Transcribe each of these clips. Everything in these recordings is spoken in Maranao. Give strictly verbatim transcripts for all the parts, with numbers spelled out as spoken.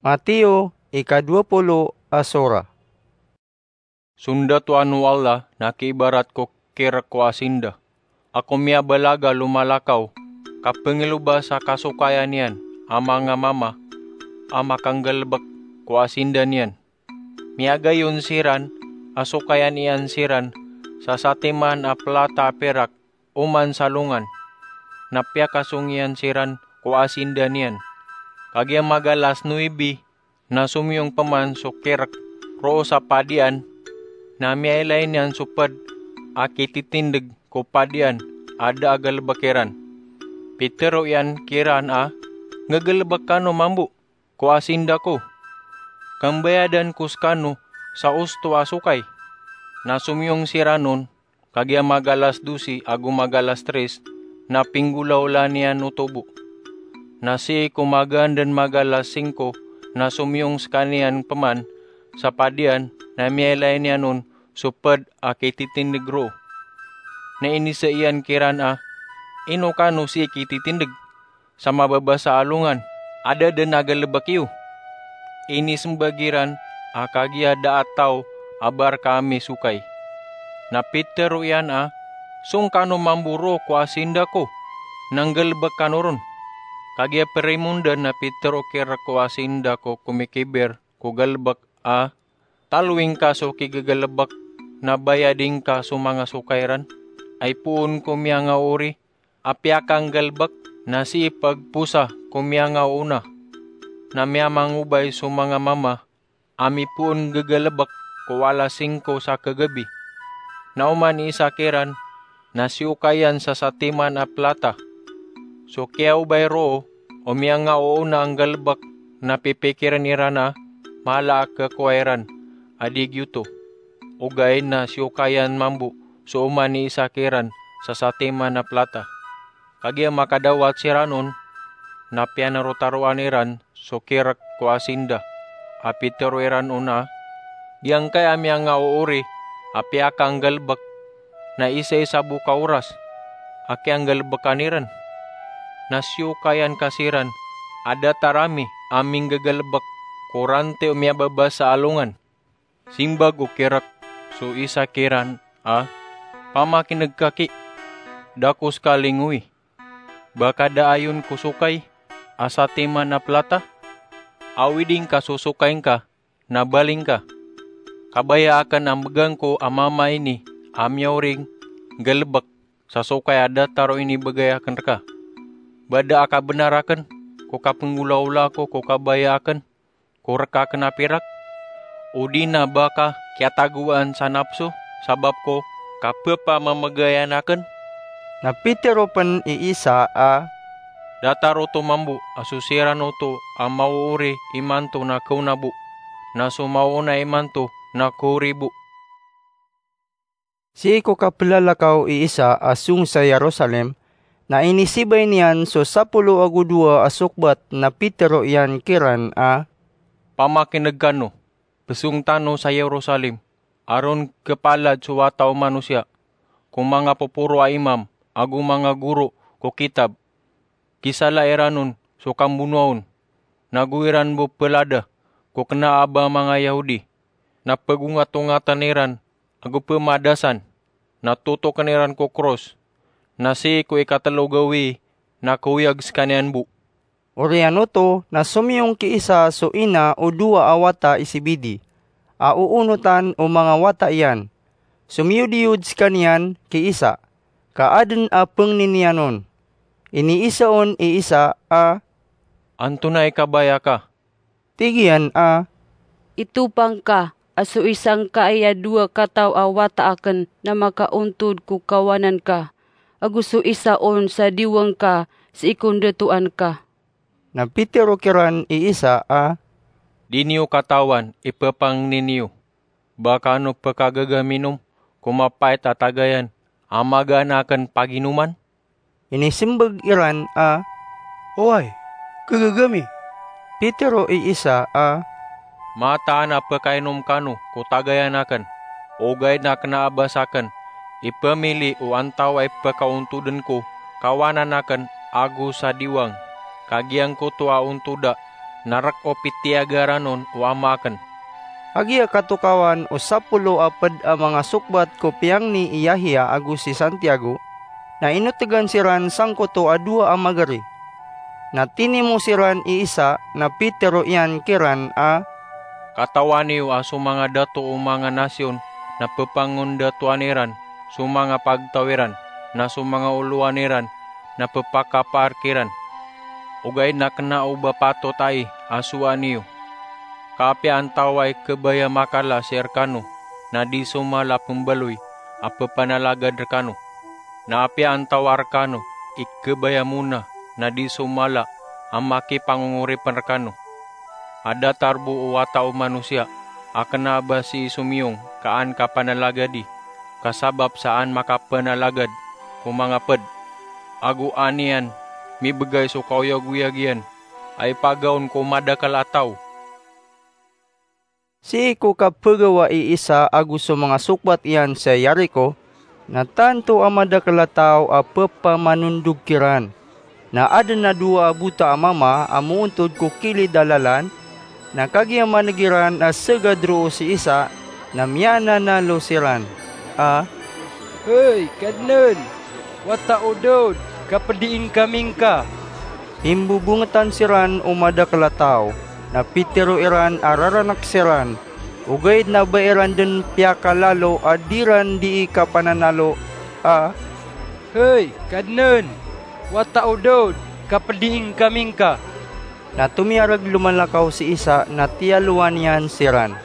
Mateo, ika dowa polo a sora. So ndatoan o Allah na kiibarat ko kirk ko asinda a komiyabalaga lomalakaw, ka pngiloba sa kasokayan iyan a manga mama a makanggalbk ko asinda niyan. Miyagayon siran a sokayan iyan siran sa satiman a plata a pirak oman sa alongan, na piyakasong iyan siran ko asinda niyan. Kagiya magalas nowibi na somiyong pman so kirk roo sa padian, na miyailay niyan so pd a kititindg ko padian a da a galbk iran. Pitharo iyan kiran a, "Nggalbk kano mambo ko asinda ko. Kambayadan ko skano sa osto a sokay." Na somiyong siran on, kagiya magalas dosi ago magalas tris, na pinggolawlaan iyan oto bo. Na sii ko magaan dn magalas singko na somiyong skaniyan pman sa padian, na miyailay niyan on so pd a kititindg roo. Na inisa iyan kiran a, "Ino kano sii kititindg? Sa mababasa a alongan, a da dn a galbk iyo." Inismbag iran a, "Kagiya da a taw a ba rka ami sokay." Na pitharo iyan a, "Song kano mambo roo ko asinda ko, na nggalbk kano ron." Kagiya primonda na pitharo o kirk ko asinda ko komikibir ko galbk a, "Taloing ka so kigagalbk, na bayadi ngka so manga sokay ran. Ay poon ko miyangaori a piyakanggalbk, na sii pagposa ko miyangaoona. Na miyamangobay so manga mama a mipoon gagalbk ko alas singko sa kagabi." Na oman i isa kiran na siyokayan sa satiman a plata. So kiyaobay roo o miyangaoona a nggalbk na pipikirn iran a mala a kakowa iran a di giyoto. Ogaid na siyokayan mambo so oman i isa kiran sa satiman a plata. Kagiya makadawat siran on, na piyanarotaroan iran so kirk ko asinda a pitharo iran on a, "Giyangkai a miyangaoori a piyakanggalbk, na isaisa bo ka oras a kiyanggalbkan iran. Na siyokayan ka siran a datar ami a minggagalbk ko ranti o miyababasa a alongan." Simbag o kirk so isa kiran a, "Pamakin'g ka ki, da ko ska lingowi. Ba ka da ayon ko sokay a satiman a plata? Awidi ngka so sokay ngka, na bali ngka. Kabaya akn a mbgan ko a mama ini a miyaori nggalbk sa sokay a datar o inibgay akn rka. Ba da a kabnar akn ko kapnggolawla ko ko kabaya akn ko rk akn a pirak? Odi na ba ka kiyatagowaan sa napso sabap ko kapphamamegayan akn?" Na pitharo pn i Isa a, "Datar oto mambo a so siran oto a maoori imanto na kaona bo, na so maona imanto na kaori bo." Sii ko kaplalakaw i Isa a song sa Jerusalem, na inisibay niyan so sapolo ago dowa a sokbat na pitharo iyan kiran a, "Pamakin'g kano, psong tano sa Jerusalem, a ron kepalad so Wata o Manosiya ko manga poporo a imam ago manga goro ko kitab. Kisala iran on so kambonoa on, nago iran bo pelada ko kena a ba manga Yahudi, na pegongatongatn iran ago pemadasan, na totokn iran ko kros, na sii ko ikatelo gawii na kaoyag skaniyan bo." Oriyan oto na somiyong ki Isa so ina o dowa a wata i Zebedee a oonotan o manga wata iyan. Somiyodiyod skaniyan ki Isa, ka adn a pngni niyan on. Iniisa on i Isa a, "Antonaa i kabaya ka?" Tig iyan a, "Itopang ka a so isa ngkai a dowa kataw a wata akn na makaontod ko kawanan ka, ago so isa on sa diwang ka sii ko ndatoan ka." Na pitharo kiran i Isa a, "Di niyo katawan i pepangni niyo. Ba kano pekagagami nom ko mapait a tagayan a magaan akn paginoman?" Inismbag iran a, "Oway, kegegemi." Pitharo i Isa a, "Mataan a pekainom kano ko tagayan akn, ogaid na kena a ba sakn i pemili o antawaa i pekaontodn ko kawanan akn ago sa diwang, ka giyangkoto a ontoda na rk o pitiyagaran on o ama akn. Kagiya katokawan o sapolo a pd a manga sokbat ko piyangni i Yahya ago si Santiago, na inotegan siran sangkoto a dowa a magari. Na tinimo siran i isa, na pitero iyan kiran a, Katawan iyo a so manga dato o manga nasiyon na pphangondatoan iran so manga pagtaw iran, na so manga olowan iran na pphakapaar kiran. Ogaid na kna o ba patot ai a sowaan iyo ka apiya antaw a ikhabaya makala sii rkano na di so mala pmbaloy a pphanalagad rkano, na apiya antaw a rkano ikhabaya mona na di so mala a makipangongoripn rkano. A datar bo o Wata o Manosiya a kna a ba sii so miyong ka an kapanalagadi, ka sabap sa an makapanalagad ko manga pd, ago an iyan mibgay so kaoyagoyag iyan a ipagaon ko madakl a taw. Sii ko kapagawa i Isa ago so manga sokbat iyan sa Yerico, na tanto a madakl a taw a pphamanondog kiran. Na adn a dowa a bota a mama a moontod ko kilid a lalan, na kagiya maneg iran a sagad roo si Isa, na miyananalo siran a, "Hay Kadnan, Wata o Daod, kapediing kami ngka!" Imbobongetan siran o madakl a taw, na pitero iran a raranek siran, ogaid na ba iran den piyakalalo a di ran dii kapananalo a, "Hay Kadnan, Wata o Daod, kapediing kami ngka!" Na tomiyareg lomalakaw si Isa na tiyalowan iyan siran.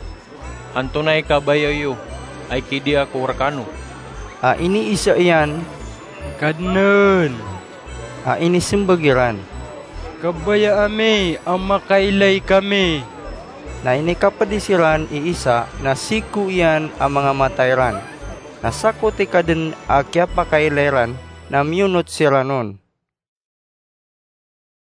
"Antonaa i kabaya iyo a ikidia ko rekano?" A iniisa iyan, "Kadnan." A inisembag iran, "Kabaya ami a makailay kami." Na inikapedi siran i Isa na siko iyan a mangamata iran. Na sakoti ka den a kiyapakailay ran, na miyonot siran on.